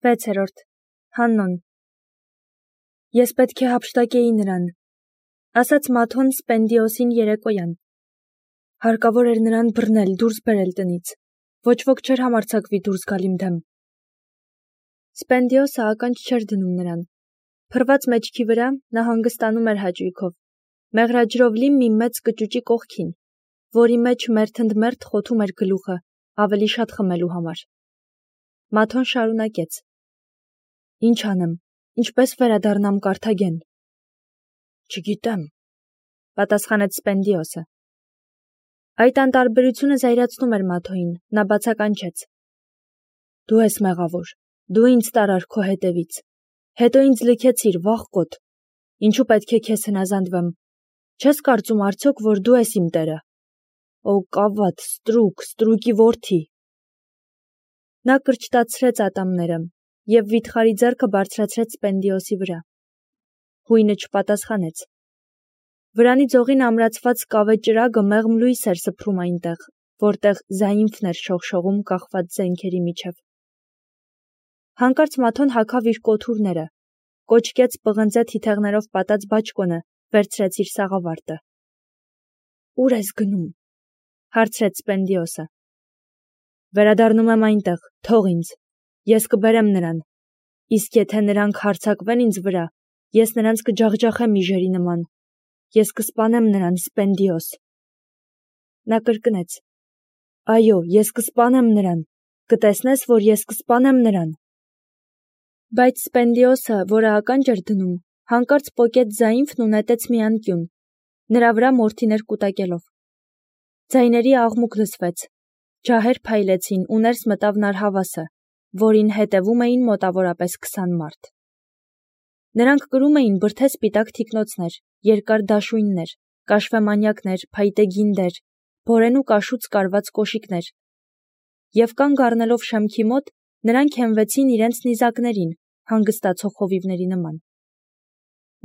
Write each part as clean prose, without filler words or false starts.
6. Հաննոն Ես պետք է հափշտակեի նրան, ասաց Մաթոն Սպենդիոսին երեկոյան. հարկավոր էր նրան բռնել, դուրս բերել տնից, ոչ ոք չէր համարձակվի դուրս գալ իմ դեմ։ Սպենդիոսը ականջ չէր դնում նրան, փռված մեջքի վրա նա հանգստանում էր հաճույքով, մեղրաջրով լի մի մեծ կճուճի կողքին, որի մեջ մերթընդմերթ խոթում էր գլուխը, ավելի շատ խմելու համար։ Մաթոն շարունակեց. Ինչ անեմ, ինչպես վերադառնամ Կարթագեն։ Չգիտեմ, պատասխանեց Սպենդիոսը։ Այդ անտարբերությունը զայրացնում էր Մաթոյին, նա բացականչեց. Դու ես մեղավոր, դու ինձ տարար քո հետևից, հետո ինձ լքեցիր, վախկոտ, ինչու պետք է քեզ հնազանդվեմ, չես կարծում արդյոք, որ դու ես իմ տերը։ Օ կավատ, ստրուկի որդի։ Նա կրճտացրեց ատամները և վիթխարի ձեռքը բարձրացրեց Սպենդիոսի վրա։ Հույնը չպատասխանեց։ Վրանի ձողին ամրացված կավե ճրագը մեղմ լույս էր սփռում այնտեղ, որտեղ զայինֆն էր շողշողում կախված զենքերի միջև։ Հանկարծ Մաթոն հագավ իր կոթուրները, կոչկեց պղնձե թիթեղներով պատած բաճկոնը, վերցրեց իր սաղավարտը։ Ուր ես գնում, հարցրեց Սպենդիոսը։ Վերադառնում եմ այնտեղ, թող ինձ, ես կբերեմ նրան, իսկ եթե նրանք հարձակվեն ինձ վրա, ես նրանց կջախջախեմ իժերի նման, ես կսպանեմ նրան, Սպենդիոս։ Նա կրկնեց. Այո, ես կսպանեմ նրան, կտեսնես, որ ես կսպանեմ նրան։ Բայց Սպենդիոսը, որը ականջ էր դնում, հանկարծ պոկեց զայինֆն ու նետեց մի անկյուն, նրա վրա մորթիներ կուտակելով։ Ձայների աղմուկ լսվեց, ջահեր փայլեցին ու ներս մտավ նարհավասը, որին հետևում էին մոտավորապես 20 մարդ։ Նրանք կրում էին բրդե սպիտակ թիկնոցներ, երկար դաշույններ, կաշվե մանյակներ, փայտե գինդեր, բորեն ու կաշուց կարված կոշիկներ։ Եվ կանգ առնելով շեմքի մոտ, նրանք հենվեցին իրենց նիզակներին, հանգստացող հովիվների նման։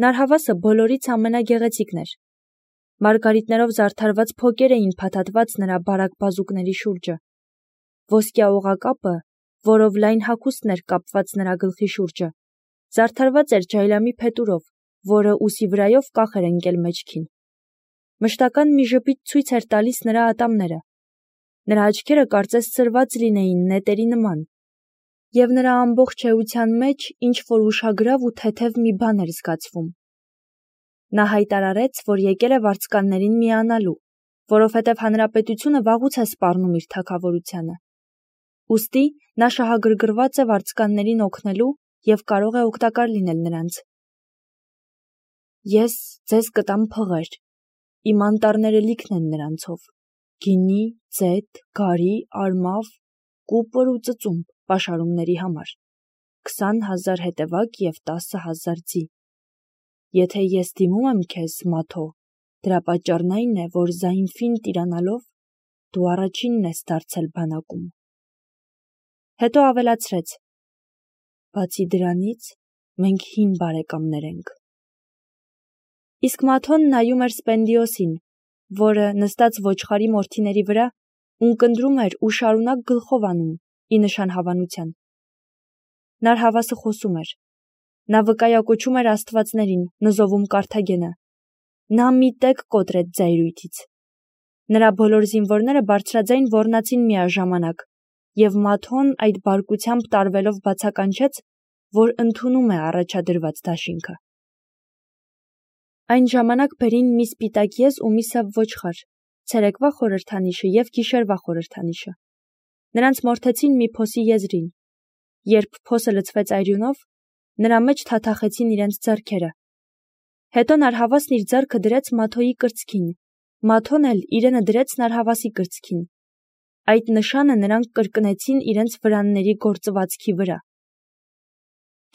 Նարհավասը բոլորից ամենագեղեցիկն էր։ Մարգարիտներով զարդարված փոկեր էին փաթաթված նրա բարակ բազուկների շուրջը։ Ոսկյա օղակապը, որով լայն հագուստն էր կապված նրա գլխի շուրջը, զարդարված էր ջայլամի փետուրով, որը ուսի վրայով կախ էր ընկել մեջքին։ Մշտական մի ժպիտ ցույց էր տալիս նրա ատամները։ Նրա աչքերը կարծես սրված լինեին նետերի նման, և նրա ամբողջ էության մեջ ինչ-որ ուշագրավ ու թեթև մի բան էր զգացվում։ Նա հայտարարեց, որ եկել է վարձկաններին միանալու, որովհետև հանրապետությունը վաղուց է սպառնում իր թագավորությանը։ Ուստի նա շահագրգռված է վարձկաններին օգնելու և կարող է օգտակար լինել նրանց։ Ես ձեզ կտամ փղեր, իմ անտառները լիքն են նրանցով, գինի, ծետ, գարի, արմավ, կուպր ու ծծումբ պաշարումների համար, 20,000 հետևակ և 10,000 ձի։ Եթե ես դիմում եմ քեզ, Մաթո, դրա պատճառն այն է, որ Զայինֆին տիրանալով, դու առաջինն ես դարձել բանակում։ Հետո ավելացրեց. Բացի դրանից, մենք հին բարեկամներ ենք։ Իսկ Մաթոն նայում էր Սպենդիոսին, որը նստած ոչխարի մորթիների վրա, ունկնդրում էր ու շարունակ գլխով անում, ի նշան հավանության։ Նարհավասը խոսում էր։ Նա վկայակոչում էր աստվածներին, նզովում Կարթագենը։ Նա մի տեկ կոտրեց ձայրույթից։ Նրա բոլոր զինվորները բարձրաձայն ոռնացին միաժամանակ, և Մաթոն այդ բարկությամբ տարվելով բացականչեց, որ ընդունում է առաջադրված դաշինքը։ Այն ժամանակ բերին մի սպիտակ եզ ու մի սև ոչխար, ցերեկվա խորհրդանիշը և գիշերվա խորհրդանիշը։ Նրանց մորթեցին մի փոսի եզրին։ Երբ փոսը լցվեց արյունով, նրա մեջ թաթախեցին իրենց ձեռքերը։ Հետո Նարհավասն իր ձեռքը դրեց Մաթոյի կրծքին, Մաթոն էլ իրենը դրեց Նարհավասի կրծքին։ Այդ նշանը նրանք կրկնեցին իրենց վրանների գործվածքի վրա։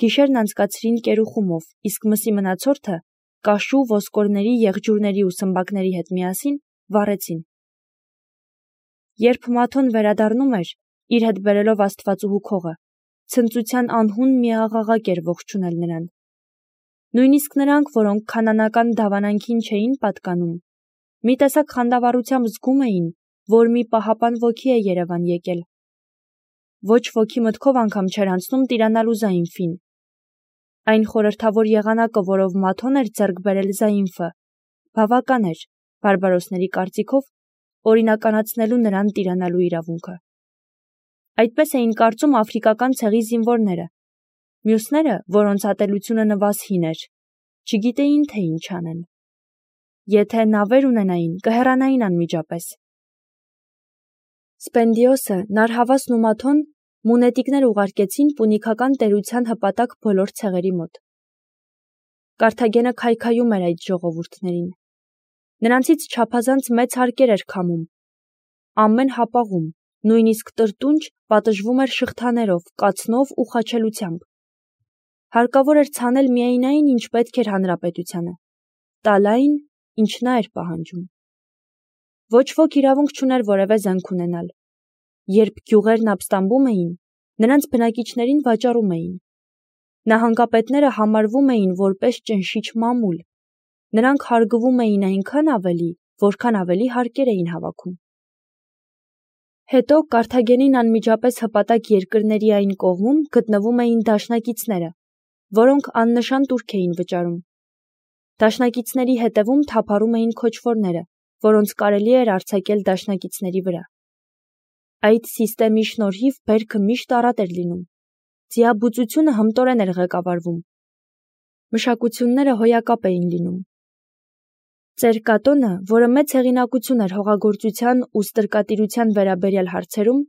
Գիշերն անցկացրին կերուխումով, իսկ մսի մնացորդը կաշու, ոսկորների, եղջյուրների ու սմբակների հետ միասին վառեցին։ Երբ Մաթոն վերադառնում էր, իր հետ բերելով Աստվածուհու քողը, ցնծության անհուն մի աղաղակ էր ողջունել նրան։ Նույնիսկ նրանք, որոնք քանանական դավանանքին չէին պատկանում, մի տեսակ խանդավառությամբ զգում էին, որ մի պահապան ոգի է Երևան եկել։ ոչ ոքի մտքով անգամ չէր անցնում տիրանալու Զայինֆին։ Այն խորհրդավոր եղանակը, որով Մաթոն էր ձեռք բերել Զայինֆը, բավական էր, բարբարոսների կարծիքով, օրինականացնելու նրան տիրանալու իրավունքը։ Այդպես էին կարծում աֆրիկական ցեղի զինվորները։ Մյուսները, որոնց ատելությունը նվազ հին էր, չգիտեին, թե ինչ անեն։ Եթե նավեր ունենային, կհեռանային անմիջապես։ Սպենդիոսը, Նարհավասն ու Մաթոն մունետիկներ ուղարկեցին պունիկական տերության հպատակ բոլոր ցեղերի մոտ։ Կարթագենը քայքայում էր այդ ժողովուրդներին։ Նրանցից չափազանց մեծ հարկեր էր քամում։ Ամեն հապաղում, նույնիսկ տրտունջ պատժվում էր շղթաներով, կացնով ու խաչելությամբ։ Հարկավոր էր ցանել միայն այն, ինչ պետք էր հանրապետությանը, տալ այն, ինչ նա էր պահանջում։ Ոչ ոք իրավունք չուներ որևէ զենք ունենալ։ Երբ գյուղերն ապստամբում էին, նրանց բնակիչներին վաճառում էին։ Նահանգապետները համարվում էին որպես ճնշիչ մամուլ։ Նրանք հարգվում էին այնքան ավելի, որքան ավելի հարկեր էին հավաքում։ Հետո Կարթագենին անմիջապես հպատակ երկրների այն կողմում գտնվում էին դաշնակիցները, որոնք աննշան տուրք էին վճարում։ Դաշնակիցների հետևում թափառում էին քոչվորները, որոնց կարելի էր արձակել դաշնակիցների վրա։ Այդ սիստեմի շնորհիվ բերքը միշտ առատ էր լինում։ Ձիաբուծությունը հմտորեն էր ղեկավարվում։ Մշակությունները հոյակապ էին լինում։ Ծերկատոնը, որը մեծ հեղինակություն էր հողագործության ու ստրկատիրության վերաբերյալ հարցերում,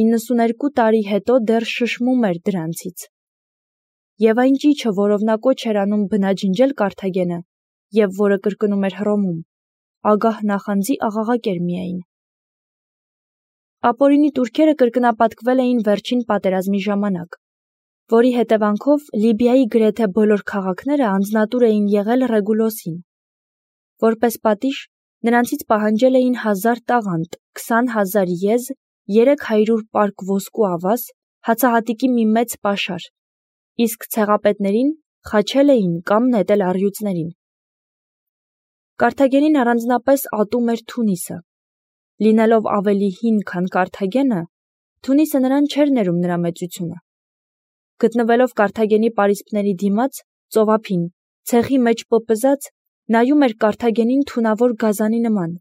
92 տարի հետո դեռ շշմում էր դրանցից։ Եվ այն ճիչը, որով նա կոչ էր անում բնաջնջել Կարթագենը, և որը կրկնում էր Հռոմում, ագահ նախանձի աղաղակ էր միայն։ Ապօրինի տուրքերը կրկնապատկվել էին վերջին պատերազմի ժամանակ, որի հետևանքով Լիբիայի գրեթե բոլոր քաղաքները անձնատուր էին եղել Ռեգուլոսին։ Որպես պատիժ, նրանցից պահանջել էին 1000 տաղանդ, 20,000 եզ, 300 պարկ ոսկու ավազ, հացահատիկի մի մեծ պաշար, իսկ ցեղապետներին խաչել էին կամ նետել առյուծներին։ Կարթագենին առանձնապես ատում էր Թունիսը։ Լինելով ավելի հին, քան Կարթագենը, Թունիսը նրան չէր ներում նրա մեծությունը։ Գտնվելով Կարթագենի պարիսպների դիմաց, ծովափին, ցեխի մեջ պպզած, նայում էր Կարթագենին թունավոր գազանի նման։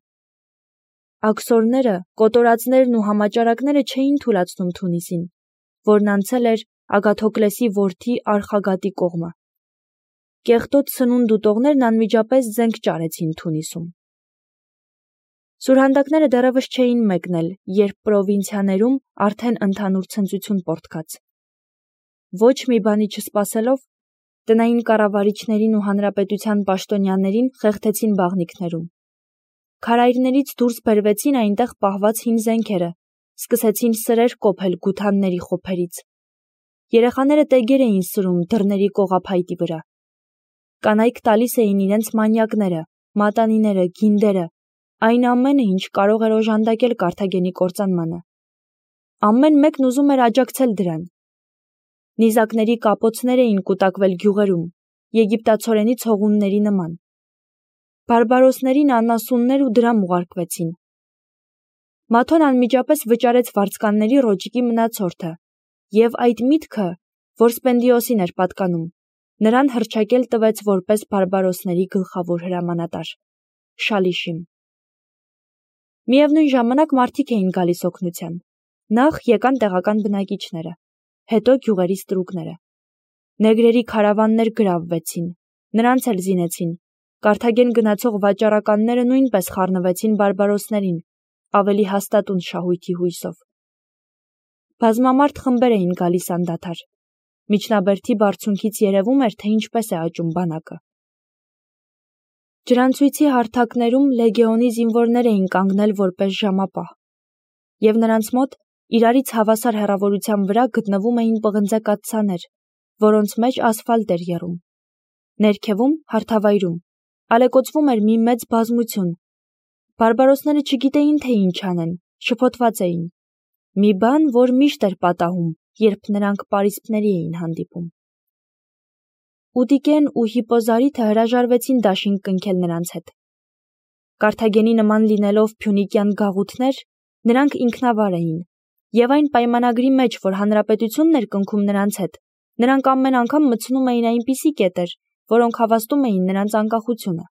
Աքսորները, կոտորածներն ու համաճարակները չէին թուլացնում Թունիսին, որն անցել էր Ագաթոկլեսի որդի Արխագատի կողմը։ Կեղտոտ սնունդ ուտողներն անմիջապես զենք ճարեցին Թունիսում։ Սուրհանդակները դեռևս չէին մեկնել, երբ պրովինցիաներում արդեն ընդհանուր ցնծություն պոռթկաց։ Ոչ մի բանի չսպասելով, տնային կառավարիչներին ու հանրապետության պաշտոնյաներին խեղդեցին բաղնիքներում։ Քարայրներից դուրս բերվեցին այնտեղ պահված հին զենքերը, սկսեցին սրեր կոփել գութանների խոփերից։ Երեխաները տեգեր էին սրում դռների կողափայտի վրա։ Կանայք տալիս էին իրենց մանյակները, մատանիները, գինդերը, այն ամենը, ինչ կարող էր օժանդակել Կարթագենի կործանմանը։ Ամեն մեկն ուզում էր աջակցել դրան։ Նիզակների կապոցներ էին կուտակվել գյուղերում, եգիպտացորենի ցողունների նման։ Բարբարոսներին անասուններ ու դրամ ուղարկվեցին։ Մաթոն անմիջապես վճարեց վարձկանների ռոճիկի մնացորդը, և այդ միտքը, որ Սպենդիոսին էր պատկանում, նրան հռչակել տվեց որպես բարբարոսների գլխավոր հրամանատար՝ Շալիշին։ Միևնույն ժամանակ մարդիկ էին գալիս օգնության։ Նախ եկան տեղական բնակիչները, հետո գյուղերի ստրուկները։ Նեգրերի քարավաններ գրավվեցին, նրանց էլ զինեցին։ Կարթագեն գնացող վաճառականները նույնպես խառնվեցին բարբարոսներին, ավելի հաստատուն շահույթի հույսով։ Բազմամարդ խմբեր էին գալիս անդադար։ Միջնաբերդի բարձունքից երևում էր, թե ինչպես է աճում բանակը։ Ջրանցույցի հարթակներում լեգեոնի զինվորներ էին կանգնել որպես ժամապահ, և նրանց մոտ իրարից հավասար հեռավորության վրա գտնվում էին պղնձե կաթսաներ, որոնց մեջ ասֆալտ էր եռում։ Ներքևում, հարթավայրում, ալեկոծվում էր մի մեծ բազմություն։ Բարբարոսները չգիտեին, թե ինչ անեն, շփոթված էին։ Մի բան, որ միշտ էր պատահում, երբ նրանք պարիսպների էին հանդիպում։ Ուտիկեն ու Հիպոզարիթը հրաժարվեցին դաշինք կնքել նրանց հետ։ Կարթագենի նման լինելով փյունիկյան գաղութներ, նրանք ինքնավար էին, Եվ այն պայմանագրի մեջ, որ հանրապետությունն էր կնքում նրանց հետ, նրանք ամեն անգամ մտցնում էին այնպիսի կետեր, որոնք հավաստում էին նրանց անկախությունը։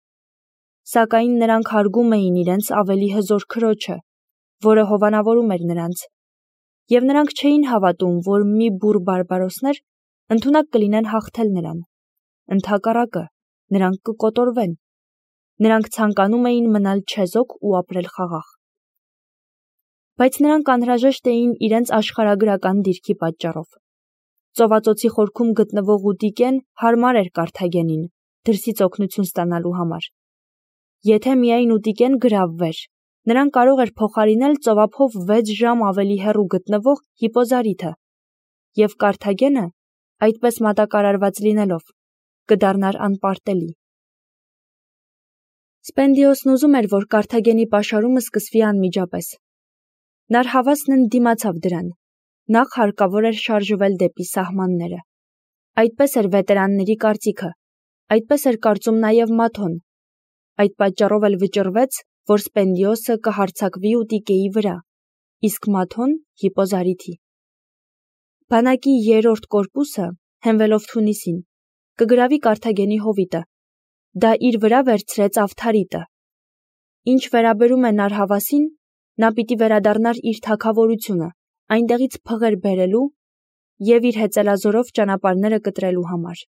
Սակայն նրանք հարգում էին իրենց ավելի հզոր քրոջը, որը հովանավորում էր նրանց, և նրանք չէին հավատում, որ մի բուռ բարբարոսներ ընդունակ կլինեն հաղթել նրան։ Ընդհակառակը, նրանք կկոտորվեն։ Նրանք ցանկանում էին մնալ չեզոք ու ապրել խաղաղ։ Բայց նրանք անհրաժեշտ էին իրենց աշխարհագրական դիրքի պատճառով։ Ծովածոցի խորքում գտնվող Ուտիկեն հարմար էր Կարթագենին, դրսից օգնություն ստանալու համար։ Եթե միայն Ուտիկեն գրավվեր, նրան կարող էր փոխարինել ծովափով 6 ժամ ավելի հեռու գտնվող Հիպոզարիթը, և Կարթագենը, այդպես մատակարարված լինելով, կդառնար անպարտելի։ Սպենդիոսն ուզում էր, որ Կարթագենի պաշարումը սկսվի անմիջապես։ Նարհավասն ընդդիմացավ դրան։ Նախ հարկավոր էր շարժվել դեպի սահմանները։ Այդպես էր վետերանների կարծիքը, այդպես էր կարծում նաև Մաթոն։ Այդ պատճառով էլ վճռվեց, որ Սպենդիոսը կհարձակվի Ուտիկեի վրա, իսկ Մաթոն Հիպոզարիթի։ Բանակի 3-րդ կորպուսը, հենվելով Թունիսին, կգրավի Կարթագենի հովիտը։ Դա իր վրա վերցրեց Ավթարիտը։ Ինչ վերաբերում է Նարհավասին, նա պիտի վերադառնար իր թագավորությունը, այնտեղից փղեր բերելու և իր հեծելազորով ճանապարհները կտրելու համար։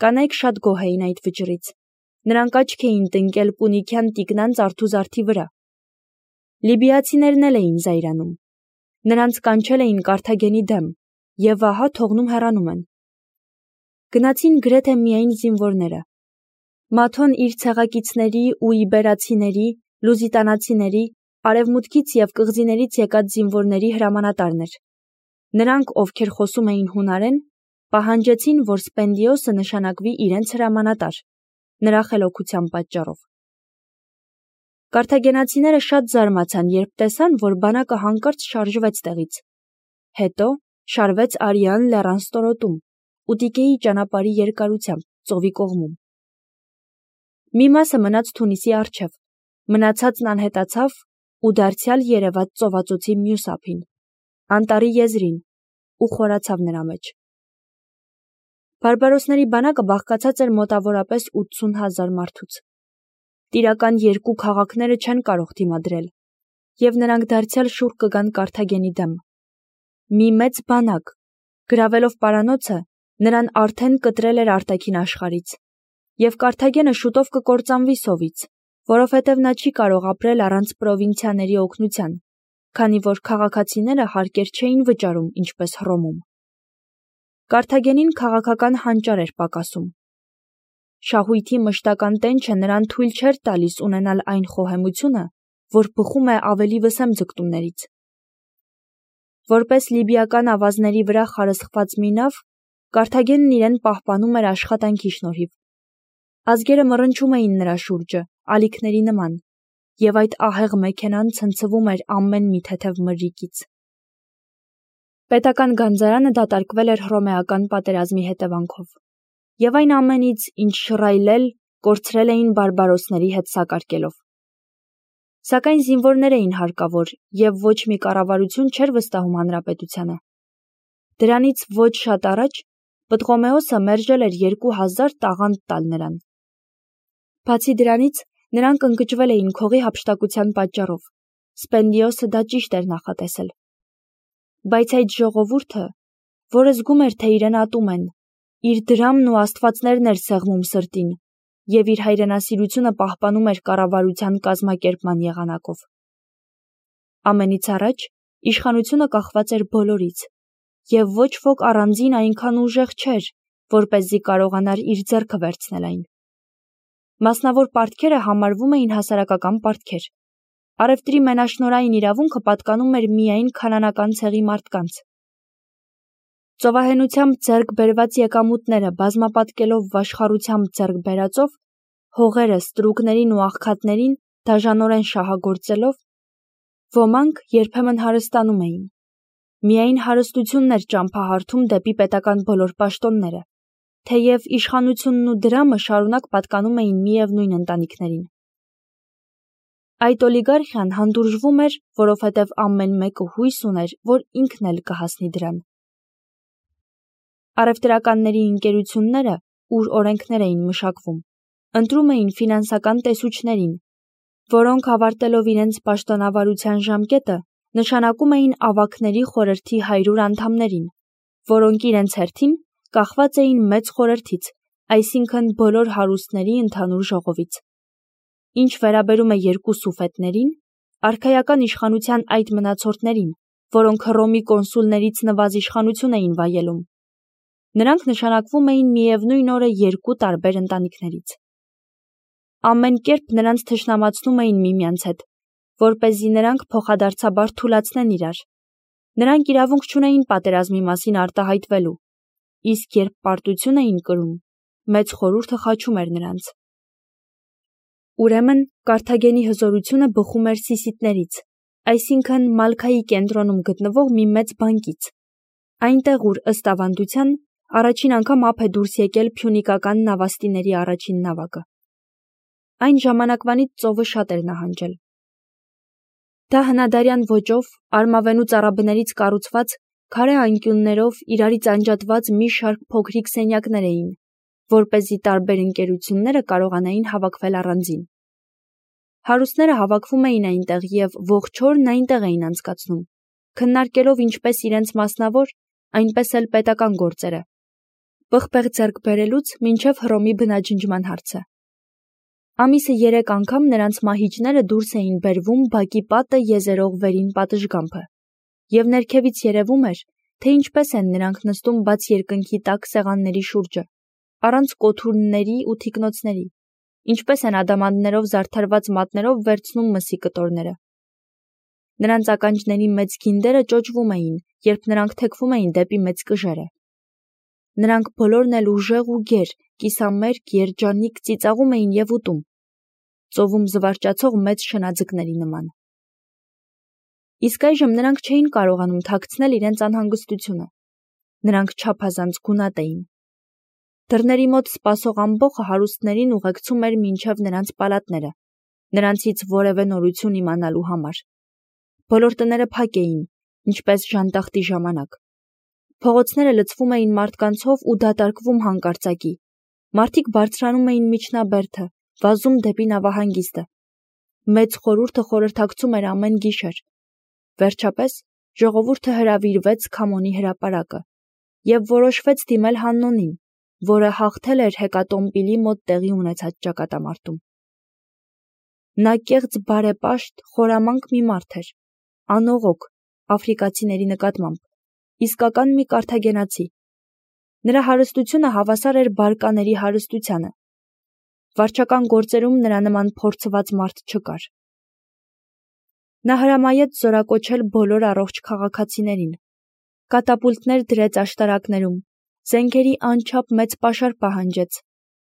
Կանայք շատ գոհ էին այդ վճռից։ Նրանք աչք էին տնկել պունիկյան տիկնանց արթուզարդի վրա։ Լիբիացիներն էլ էին զայրանում։ Նրանց կանչել էին Կարթագենի դեմ, և ահա թողնում հեռանում են։ Գնացին գրեթե միայն զինվորները։ Մաթոն իր ցեղակիցների ու իբերացիների, լուզիտանացիների, արևմուտքից և կղզիներից եկած զինվորների հրամանատարն էր։ Նրանք, ովքեր խոսում էին հունարեն, պահանջեցին, որ Սպենդիոսը նշանակվի իրենց հրամանատար, նրա խելոքության պատճառով։ Կարթագենացիները շատ զարմացան, երբ տեսան, որ բանակը հանկարծ շարժվեց տեղից։ Հետո շարվեց Արիան լեռան ստորոտում, Ուտիկեի ճանապարհի երկարությամբ, ծովի կողմում։ Մի մասը մնաց Թունիսի առջև, մնացածն անհետացավ ու դարձյալ երևաց ծովածոցի մյուս ափին, անտառի եզրին, ու խորացավ նրա մեջ։ Բարբարոսների բանակը բաղկացած էր մոտավորապես 80,000 մարդուց։ Տիրական երկու քաղաքները չեն կարող դիմադրել, և նրանք դարձյալ շուռ կգան Կարթագենի դեմ։ Մի մեծ բանակ, գրավելով պարանոցը, նրան արդեն կտրել էր արտաքին աշխարհից, և Կարթագենը շուտով կկործանվի սովից, որովհետև նա չի կարող ապրել առանց պրովինցիաների օգնության, քանի որ քաղաքացիները հարկեր չէին վճարում ինչպես Հռոմում։ Կարթագենին քաղաքական հանճար էր պակասում։ Շահույթի մշտական տենչը նրան թույլ չէր տալիս ունենալ այն խոհեմությունը, որ բխում է ավելի վսեմ ձգտումներից։ Որպես լիբիական ավազների վրա խարսխված մի նավ, Կարթագենն իրեն պահպանում էր աշխատանքի շնորհիվ։ Ազգերը մռնչում էին նրա շուրջը, ալիքների նման, և այդ ահեղ մեքենան ցնցվում էր ամեն մի թեթև մրրիկից։ Պետական գանձարանը դատարկվել էր հռոմեական պատերազմի հետևանքով, և այն ամենից, ինչ շռայլել, կորցրել էին բարբարոսների հետ սակարկելով։ Սակայն զինվորներ էին հարկավոր, և ոչ մի կառավարություն չէր վստահում հանրապետությանը։ Դրանից ոչ շատ առաջ Պտղոմեոսը մերժել էր 2000 տաղանդ տալ նրան։ Բացի դրանից, նրանք ընկճվել էին քողի հափշտակության պատճառով։ Սպենդիոսը դա ճիշտ էր նախատեսել։ Բայց այդ ժողովուրդը, որը զգում էր, թե իրեն ատում են, իր դրամն ու աստվածներն էր սեղմում սրտին, և իր հայրենասիրությունը պահպանում էր կառավարության կազմակերպման եղանակով։ Ամենից առաջ իշխանությունը կախված էր բոլորից, և ոչ ոք առանձին այնքան ուժեղ չէր, որպեսզի կարողանար իր ձեռքը վերցնել այն։ Մասնավոր պարտքերը համարվում էին հասարակական պարտքեր։ Առևտրի մենաշնորհային իրավունքը պատկանում էր միայն քանանական ցեղի մարդկանց։ Ծովահենությամբ ձեռք բերված եկամուտները բազմապատկելով վաշխառությամբ ձեռք բերածով, հողերը ստրուկներին ու աղքատներին դաժանորեն շահագործելով, ոմանք երբեմն հարստանում էին։ Միայն հարստությունն էր ճամփահարթում դեպի պետական բոլոր պաշտոնները, թեև իշխանությունն ու դրամը շարունակ պատկանում էին միևնույն ընտանիքներին։ Այդ օլիգարխիան հանդուրժվում էր, որովհետև ամեն մեկը հույս ուներ, որ ինքն էլ կհասնի դրան։ Առևտրականների ընկերությունները, ուր օրենքներ էին մշակվում, ընտրում էին ֆինանսական տեսուչներին, որոնք ավարտելով իրենց պաշտոնավարության ժամկետը, նշանակում էին ավագների խորհրդի 100 անդամներին, որոնք իրենց հերթին կախված էին մեծ խորհրդից, այսինքն բոլոր հարուստների ընդհանուր ժողովից։ Ինչ վերաբերում է երկու սուֆետներին, արքայական իշխանության այդ մնացորդներին, որոնք Հռոմի կոնսուլներից նվազիշխանություն էին վայելում, նրանք նշանակվում էին միևնույն օրը երկու տարբեր ընտանիքներից։ Ամեն կերպ նրանց թշնամացնում էին միմյանց հետ, որպեսզի նրանք փոխադարձաբար թուլացնեն իրար։ Նրանք իրավունք չունեին պատերազմի մասին արտահայտվելու, իսկ երբ պարտություն էին կրում, մեծ խորհուրդը խաչում էր նրանց։ Ուրեմն Կարթագենի հզորությունը բխում էր Սիսիթներից, այսինքն Մալքայի կենտրոնում գտնվող մի մեծ բանկից, այնտեղ ուր ըստ ավանդության առաջին անգամ ափ է դուրս եկել փյունիկական նավաստիների առաջին նավակը։ Այն ժամանակվանից ծովը շատ էր նահանջել։ Դա հնադարյան ոճով, արմավենու ծառաբներից կառուցված, քարե անկյուններով իրարից անջատված մի շարք փոքրիկ սենյակներ էին, որպեսզի տարբեր ընկերությունները կարողանային հավաքվել առանձին։ Հարուստները հավաքվում էին այնտեղ և ողջ օրն այնտեղ էին անցկացնում, քննարկելով ինչպես իրենց մասնավոր, այնպես էլ պետական գործերը, պղպեղ ձեռք բերելուց մինչև Հռոմի բնաջնջման հարցը։ Ամիսը 3 անգամ նրանց մահիճները դուրս էին բերվում բակի պատը եզերող վերին պատշգամբը, և ներքևից երևում էր, թե ինչպես են նրանք նստում բաց երկնքի տակ սեղանների շուրջը, առանց կոթուրների ու թիկնոցների, ինչպես են ադամանդներով զարդարված մատներով վերցնում մսի կտորները։ Նրանց ականջների մեծ գինդերը ճոճվում էին, երբ նրանք թեքվում էին դեպի մեծ կժերը։ Նրանք բոլորն էլ ուժեղ ու գեր, կիսամերկ, երջանիկ ծիծաղում էին և ուտում, ծովում զվարճացող մեծ շնաձկների նման։ Իսկ այժմ նրանք չէին կարողանում թաքցնել իրենց անհանգստությունը։ Նրանք չափազանց գունատ էին։ Դռների մոտ սպասող ամբոխը հարուստներին ուղեկցում էր մինչև նրանց պալատները, նրանցից որևէ նորություն իմանալու համար։ Բոլոր տները փակ էին, ինչպես ժանտախտի ժամանակ։ Փողոցները լցվում էին մարդկանցով ու դատարկվում հանկարծակի։ Մարդիկ բարձրանում էին միջնաբերդը, վազում դեպի նավահանգիստը։ Մեծ խորհուրդը խորհրդակցում էր ամեն գիշեր։ Վերջապես ժողովուրդը հրավիրվեց Քամոնի հրապարակը և որոշվեց դիմել Հաննոնին, որը հաղթել էր Հեկատոմպիլի մոտ տեղի ունեցած ճակատամարտում։ Նա կեղծ բարեպաշտ, խորամանկ մի մարդ էր, անողոք, աֆրիկացիների նկատմամբ, իսկական մի կարթագենացի։ Նրա հարստությունը հավասար էր բարկաների հարստությանը։ Վարչական գործերում նրա նման փորձված մարդ չկար։ Նա հրամայեց զորակոչել բոլոր առողջ քաղաքացիներին, կատապուլտներ դրեց աշտարակներում, զենքերի անչափ մեծ պաշար պահանջեց,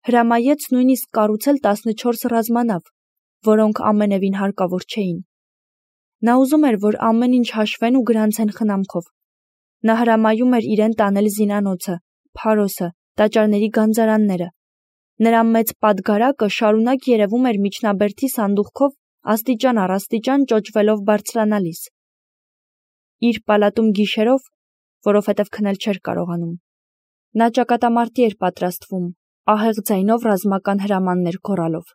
հրամայեց նույնիսկ կառուցել 14 ռազմանավ, որոնք ամենևին հարկավոր չէին։ Նա ուզում էր, որ ամեն ինչ հաշվեն ու գրանցեն խնամքով։ Նա հրամայում էր իրեն տանել զինանոցը, փարոսը, տաճարների գանձարանները։ Նրա մեծ պատգարակը շարունակ երևում էր միջնաբերդի սանդուղքով աստիճան առ աստիճան ճոճվելով բարձրանալիս։ Իր պալատում գիշերով, որովհետև քնել չէր կարողանում, նա ճակատամարտի էր պատրաստվում, ահեղ ձայնով ռազմական հրամաններ գոռալով։